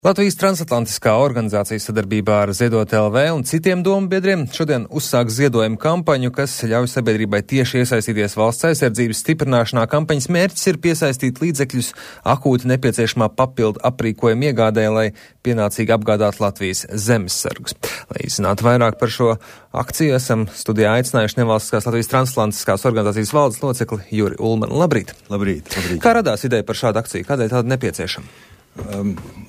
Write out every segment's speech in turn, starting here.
Latvijas transatlantiskā organizācija sadarbībā ar Ziedot LV un citiem domu biedriem šodien uzsāk ziedojumu kampaņu, kas ļauj sabiedrībai tieši iesaistīties valsts aizsardzības stiprināšanā. Kampaņas mērķis ir piesaistīt līdzekļus akūti nepieciešamā papildu aprīkojuma iegādē, lai pienācīgi apgādātu Latvijas zemesargus. Lai izzinātu vairāk par šo akciju, esam studijā aicinājuši nevalstiskās Latvijas transatlantiskās organizācijas valdes locekli Juri Ulmanu. Labrīt! Labrīt! Kā radās ideja par šādu akciju? Kādēļ tāda nepieciešama?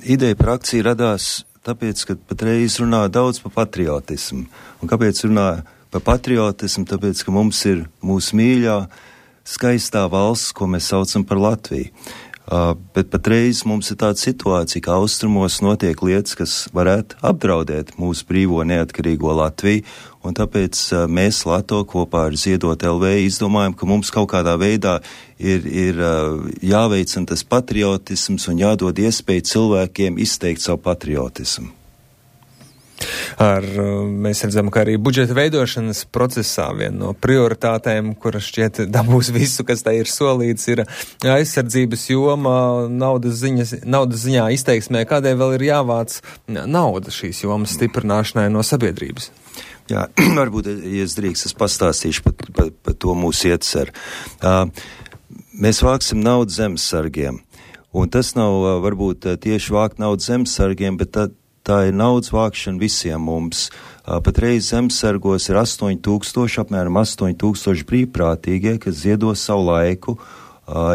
Ideja par akciju radās tāpēc, ka patreiz runā daudz par patriotismu. Un kāpēc runā par patriotismu? Tāpēc, ka mums ir mūsu mīļā, skaistā valsts, ko mēs saucam par Latviju. Bet patreiz mums ir tāda situācija, ka austrumos notiek lietas, kas varētu apdraudēt mūsu brīvo neatkarīgo Latviju, un tāpēc mēs Lato kopā ar Ziedot LV izdomājam, ka mums kaut kādā veidā ir jāveicina tas patriotisms un jādod iespēju cilvēkiem izteikt savu patriotismu. Mēs redzam, ka arī budžeta veidošanas procesā viena no prioritātēm, kura šķiet dabūs visu, kas tā ir solīts, ir aizsardzības joma naudas ziņā izteiksmē. Kādēļ vēl ir jāvāc nauda šīs jomas stiprināšanai no sabiedrības? Jā, varbūt, ja es drīkst, es pastāstīšu par to mūsu ieceru. Mēs vāksim naudu zemesargiem, un tas nav varbūt tieši vākt naudu zemesargiem, bet tā ir naudas vākšana visiem mums. Patreiz zemesargos ir 8000, apmēram 8000 brīvprātīgie, kas ziedo savu laiku,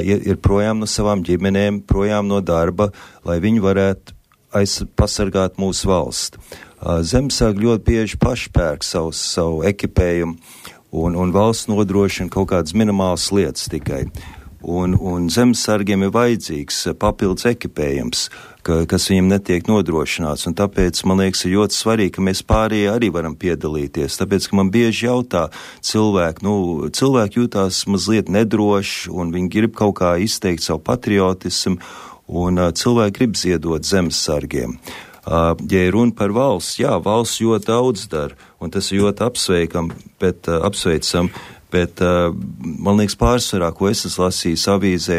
ir projām no savām ģimenēm, projām no darba, lai viņi varētu pasargāt mūsu valsti. Zemesargi ļoti bieži paši pērk savu ekipējumu, un valsts nodrošina kaut kādas minimālas lietas tikai. Un zemesargiem ir vajadzīgs papildus ekipējums, kas viņiem netiek nodrošināts, un tāpēc, man liekas, ir ļoti svarīgi, ka mēs pārējie arī varam piedalīties, tāpēc, ka man bieži jautā cilvēki jūtās mazliet nedroši, un viņi grib kaut kā izteikt savu patriotismu, un cilvēki grib ziedot zemesargiem. Ja ir runa par valsts, jā, valsts ļoti daudz dara, un tas ir ļoti apsveicam, bet man liekas pārsvarā, ko es esmu lasījis avīzē,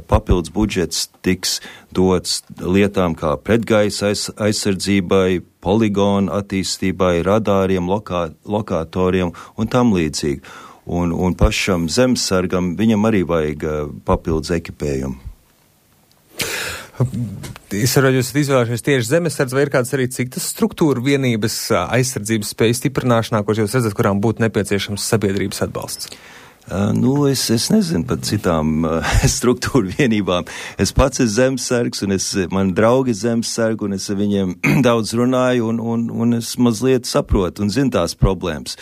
papildus budžets tiks dots lietām kā pretgaisa aizsardzībai, poligonu attīstībai, radāriem, lokatoriem un tam līdzīgi. Un pašam zemesargam viņam arī vajag papildus ekipējumu. Es saprotu, jūs esat izvēlējušies tieši zemesardz, vai ir kādas arī citas struktūra vienības aizsardzības spēju stiprināšanā, kuras jūs redzat, kurām būtu nepieciešams sabiedrības atbalsts? Es nezinu par citām struktūru vienībām. Es pats esmu zemesargs, un man draugi ir zemesargi, un es ar viņiem daudz runāju, un es mazliet saprotu un zinu tās problēmas.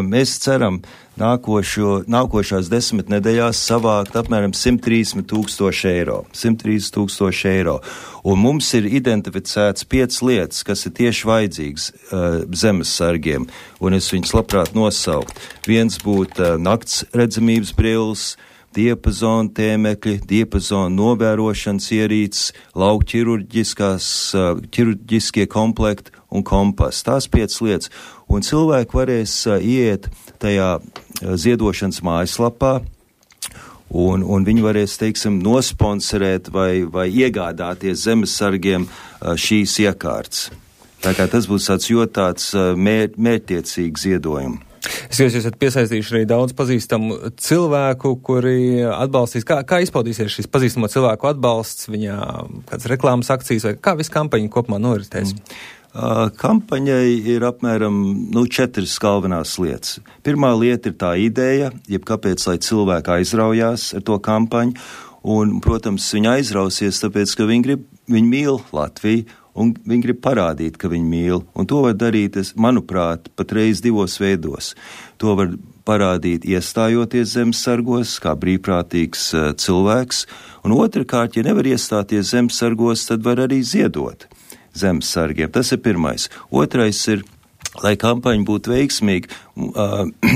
Mēs ceram nākošās 10 nedēļās savākt apmēram 130,000 eiro. 130,000 eiro. Un mums ir identificēts 5 lietas, kas ir tieši vajadzīgas zemesargiem, un es viņus labprāt nosaukt. Viens būtu nakts redzamības brilles, diapazona tēmekļi, diapazona novērošanas ierīces, lauku ķirurģiskie komplekti un kompass. Tās 5 lietas. Un cilvēki varēs iet tajā ziedošanas mājaslapā, un viņi varēs, teiksim, nosponsorēt vai iegādāties zemesargiem šīs iekārtas. Tā kā tas būs tāds mērķtiecīgs ziedojums. Es jūs esat piesaistījuši arī daudz pazīstamu cilvēku, kuri atbalstīs. Kā izpaudīsies šis pazīstamo cilvēku atbalsts, viņā kāds reklāmas akcijas, vai kā viss kampaņa kopumā noritēs? Kampaņai ir apmēram 4 galvenās lietas. Pirmā lieta ir tā ideja, jeb kāpēc, lai cilvēki aizraujās ar to kampaņu, un, protams, viņi aizrausies, tāpēc, ka viņi mīl Latviju, un viņi grib parādīt, ka viņi mīl, un to var darīt, manuprāt, patreiz 2 veidos. To var parādīt iestājoties zemesargos, kā brīvprātīgs cilvēks, un otrkārt, ja nevar iestāties zemesargos, tad var arī ziedot zemesargiem. Tas ir pirmais. Otrais ir, lai kampaņa būtu veiksmīga,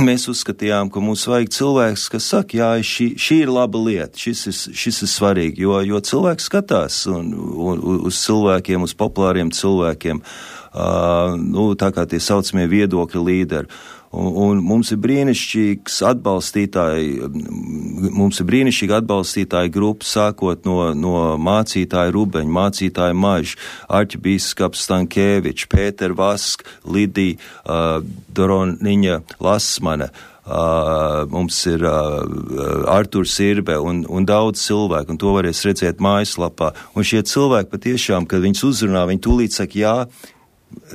mēs uzskatījām, ka mums vajag cilvēks, kas saka, jā, šī ir laba lieta, šis ir svarīgi, jo cilvēks skatās uz cilvēkiem, uz populāriem cilvēkiem, tā kā tie saucamie viedokļa līderi. Un mums ir brīnišķīga atbalstītāja grupa, sākot no mācītāja Rubeņa, mācītāja Maža, arķibīskaps Stankēvičs, Pēter Vask, Lidija Doroniņa Lasmane, mums ir Arturs Irbe un daudz cilvēku, un to varēs redzēt mājaslapā. Un šie cilvēki patiešām, kad viņus uzrunā, viņi tūlīt saka jā,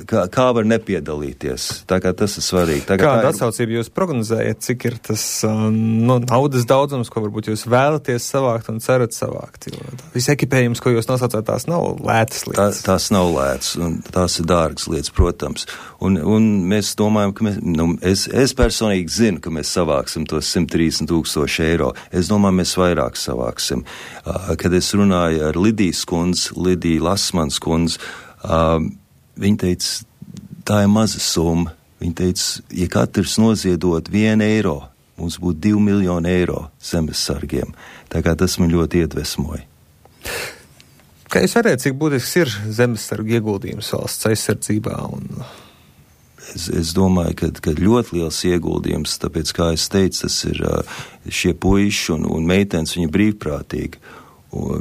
kā var nepiedalīties. Tā kā tas ir svarīgi. Kāda atsaucība jūs prognozējat, cik ir tas naudas daudzums, ko varbūt jūs vēlaties savākt un cerat savākt? Jo viss ekipējums, ko jūs nosaucāt, tās nav lētas lietas. Tās nav lētas, un tās ir dārgas lietas, protams. Un mēs domājam, ka es personīgi zinu, ka mēs savāksim tos 130,000 eiro. Es domāju, mēs vairāk savāksim. Kad es runāju ar Lidiju Lasmans kundzi, viņa teica, tā ir maza summa. Viņa teica, ja katrs noziedot 1 eiro, mums būtu 2 miljoni eiro zemesargiem. Tā kā tas man ļoti iedvesmoja. Kā jūs varētu, cik būtisks ir zemesargu ieguldījums valsts aizsardzībā? Es domāju, ka ļoti liels ieguldījums, tāpēc, kā es teicu, tas ir šie puiši un meitenes, viņi brīvprātīgi.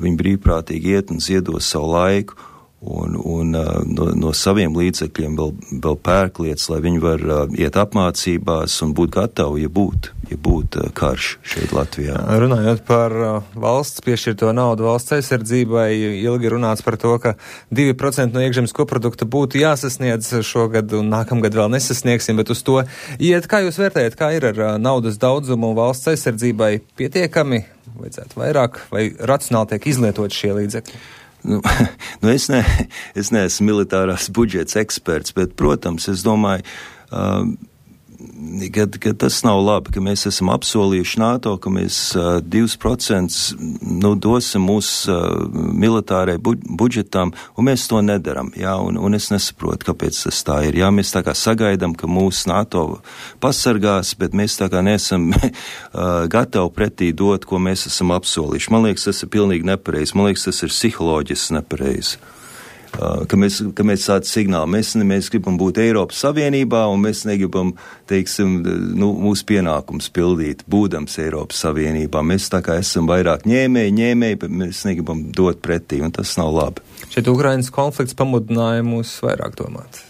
Viņi brīvprātīgi iet un ziedos savu laiku. Un no saviem līdzekļiem vēl pērk lietas, lai viņi var iet apmācībās un būt gatavi, ja būtu karš šeit Latvijā. Runājot par valsts piešķirto naudu valsts aizsardzībai, ilgi runāts par to, ka 2% no iekšzemes koprodukta būtu jāsasniedz šogad un nākamgad vēl nesasniegsim, bet uz to iet. Kā jūs vērtējat, kā ir ar naudas daudzumu valsts aizsardzībai? Pietiekami, vajadzētu vairāk vai racionāli tiek izlietot šie līdzekļi? Es neesmu militārās budžets eksperts, bet, protams, es domāju, ka tas nav labi, ka mēs esam apsolījuši NATO, ka mēs 2% dosim mūsu militārai budžetam, un mēs to nedaram. Jā, un es nesaprotu, kāpēc tas tā ir. Jā, mēs tā kā sagaidām, ka mūsu NATO pasargās, bet mēs tā kā nesam gatavi pretī dot, ko mēs esam apsolījuši. Man liekas, tas ir pilnīgi nepareizi. Man liekas, tas ir psiholoģiski nepareizi. Ka mēs tādu signālu, mēs gribam būt Eiropas Savienībā un mēs negribam, teiksim, mūsu pienākums pildīt, būdams Eiropas Savienībā. Mēs tā kā esam vairāk ņēmēji, bet mēs negribam dot pretī, un tas nav labi. Šeit Ukrainas konflikts pamudināja mūs vairāk domāt.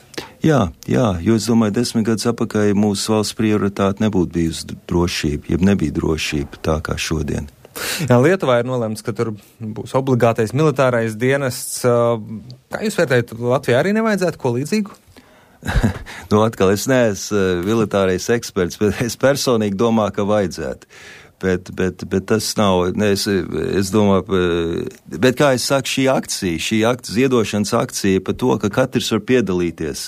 Jā, jo es domāju, 10 gadus atpakaļ mūsu valsts prioritāte nebūtu bijusi drošība, jeb nebija drošība tā kā šodien. Jā, Lietuvā ir nolēmts, ka tur būs obligātais militārais dienests. Kā jūs vērtējat, Latvijā arī nevajadzētu ko līdzīgu? Atkal es neesmu militārais eksperts, bet es personīgi domāju, ka vajadzētu. Bet tas nav, es domāju, bet kā es saku, šī ziedošanas akcija par to, ka katrs var piedalīties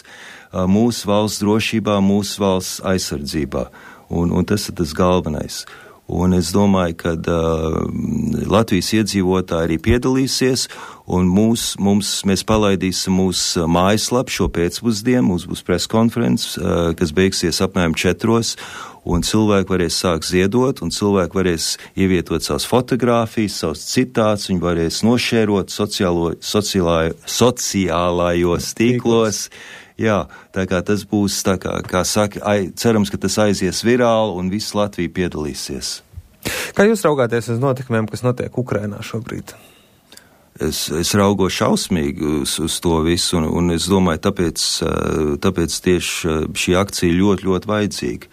mūsu valsts drošībā, mūsu valsts aizsardzībā. Un tas ir tas galvenais. Un es domāju, ka Latvijas iedzīvotāji arī piedalīsies, un mēs palaidīsim mūsu mājaslapu šo pēcpusdienu, mums būs preskonferences, kas beigsies apmēram 4, un cilvēki varēs sākt ziedot, un cilvēki varēs ievietot savas fotogrāfijas, savas citāts, viņi varēs nošērot sociālajos tīklos. Jā, tā kā tas būs, tā kā saka, cerams, ka tas aizies virāli un viss Latvija piedalīsies. Kā jūs raugāties uz notikumiem, kas notiek Ukrainā šobrīd? Es raugos šausmīgi uz to visu, un es domāju, tāpēc tieši šī akcija ļoti, ļoti vajadzīga.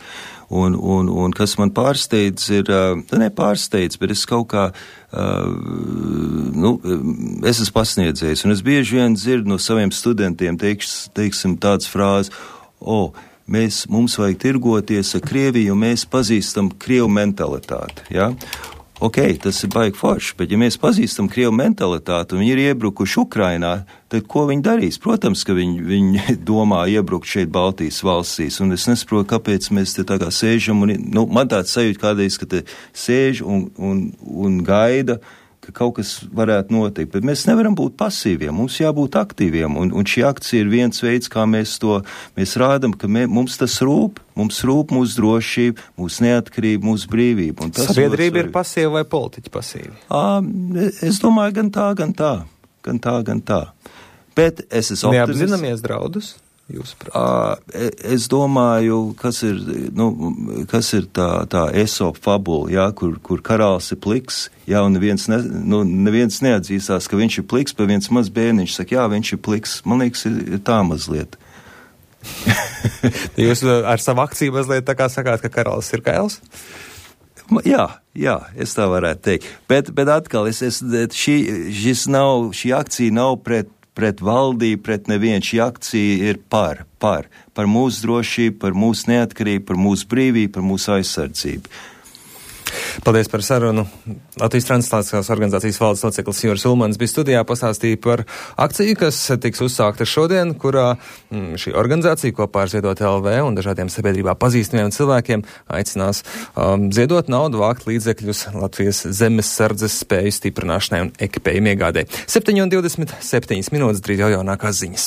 Un kas man pārsteidz ir, nepārsteidz, bet es kaut kā, es esmu pasniedzējis, un es bieži vien dzirdu no saviem studentiem, teiksim tādas frāzes, mums vajag tirgoties ar Krieviju, un mēs pazīstam Krievu mentalitāti, ja? Ok, tas ir baigi forši, bet ja mēs pazīstam Krievu mentalitāti un viņi ir iebrukuši Ukrainā, tad ko viņi darīs? Protams, ka viņi domā iebrukt šeit Baltijas valstīs, un es nesaprotu, kāpēc mēs te tā kā sēžam, un man tāds sajūta kādreiz, ka te sēž un gaida, ka kaut kas varētu notikt, bet mēs nevaram būt pasīviem, mums jābūt aktīviem, un šī akcija ir viens veids, kā mēs rādam, ka mums tas rūp, mums rūp mūsu drošība, mūsu neatkarība, mūsu brīvība. Sabiedrība ir pasīva vai politiķi pasīvi? Es domāju, gan tā. Bet es esmu neapzināmies draudus? jūsuprāt? Es domāju, kas ir tā Esopa fabula, jā, kur karalis ir pliks, jā, un neviens neatzīstās, ka viņš ir pliks, bet viens maz bērniņš saka, jā, viņš ir pliks. Man liekas, ir tā mazliet. Jūs ar savu akciju mazliet tā kā sakāt, ka karalis ir kails? Jā, es tā varētu teikt. Bet atkal, šī akcija nav pret valdību, pret nevienu. Šī akcija ir par mūsu drošību, par mūsu neatkarību, par mūsu brīvību, par mūsu aizsardzību. Paldies par sarunu. Latvijas translācijas organizācijas valdes loceklis Juris Ulmans bija studijā, pastāstīja par akciju, kas tiks uzsākta šodien, kurā šī organizācija kopā ar Ziedot LV un dažādiem sabiedrībā pazīstamiem cilvēkiem aicinās ziedot naudu, vākt līdzekļus Latvijas zemes sardzes spēju stiprināšanai un ekipējumu iegādē. 7:27 minūtes, drīz jau jaunākās ziņas.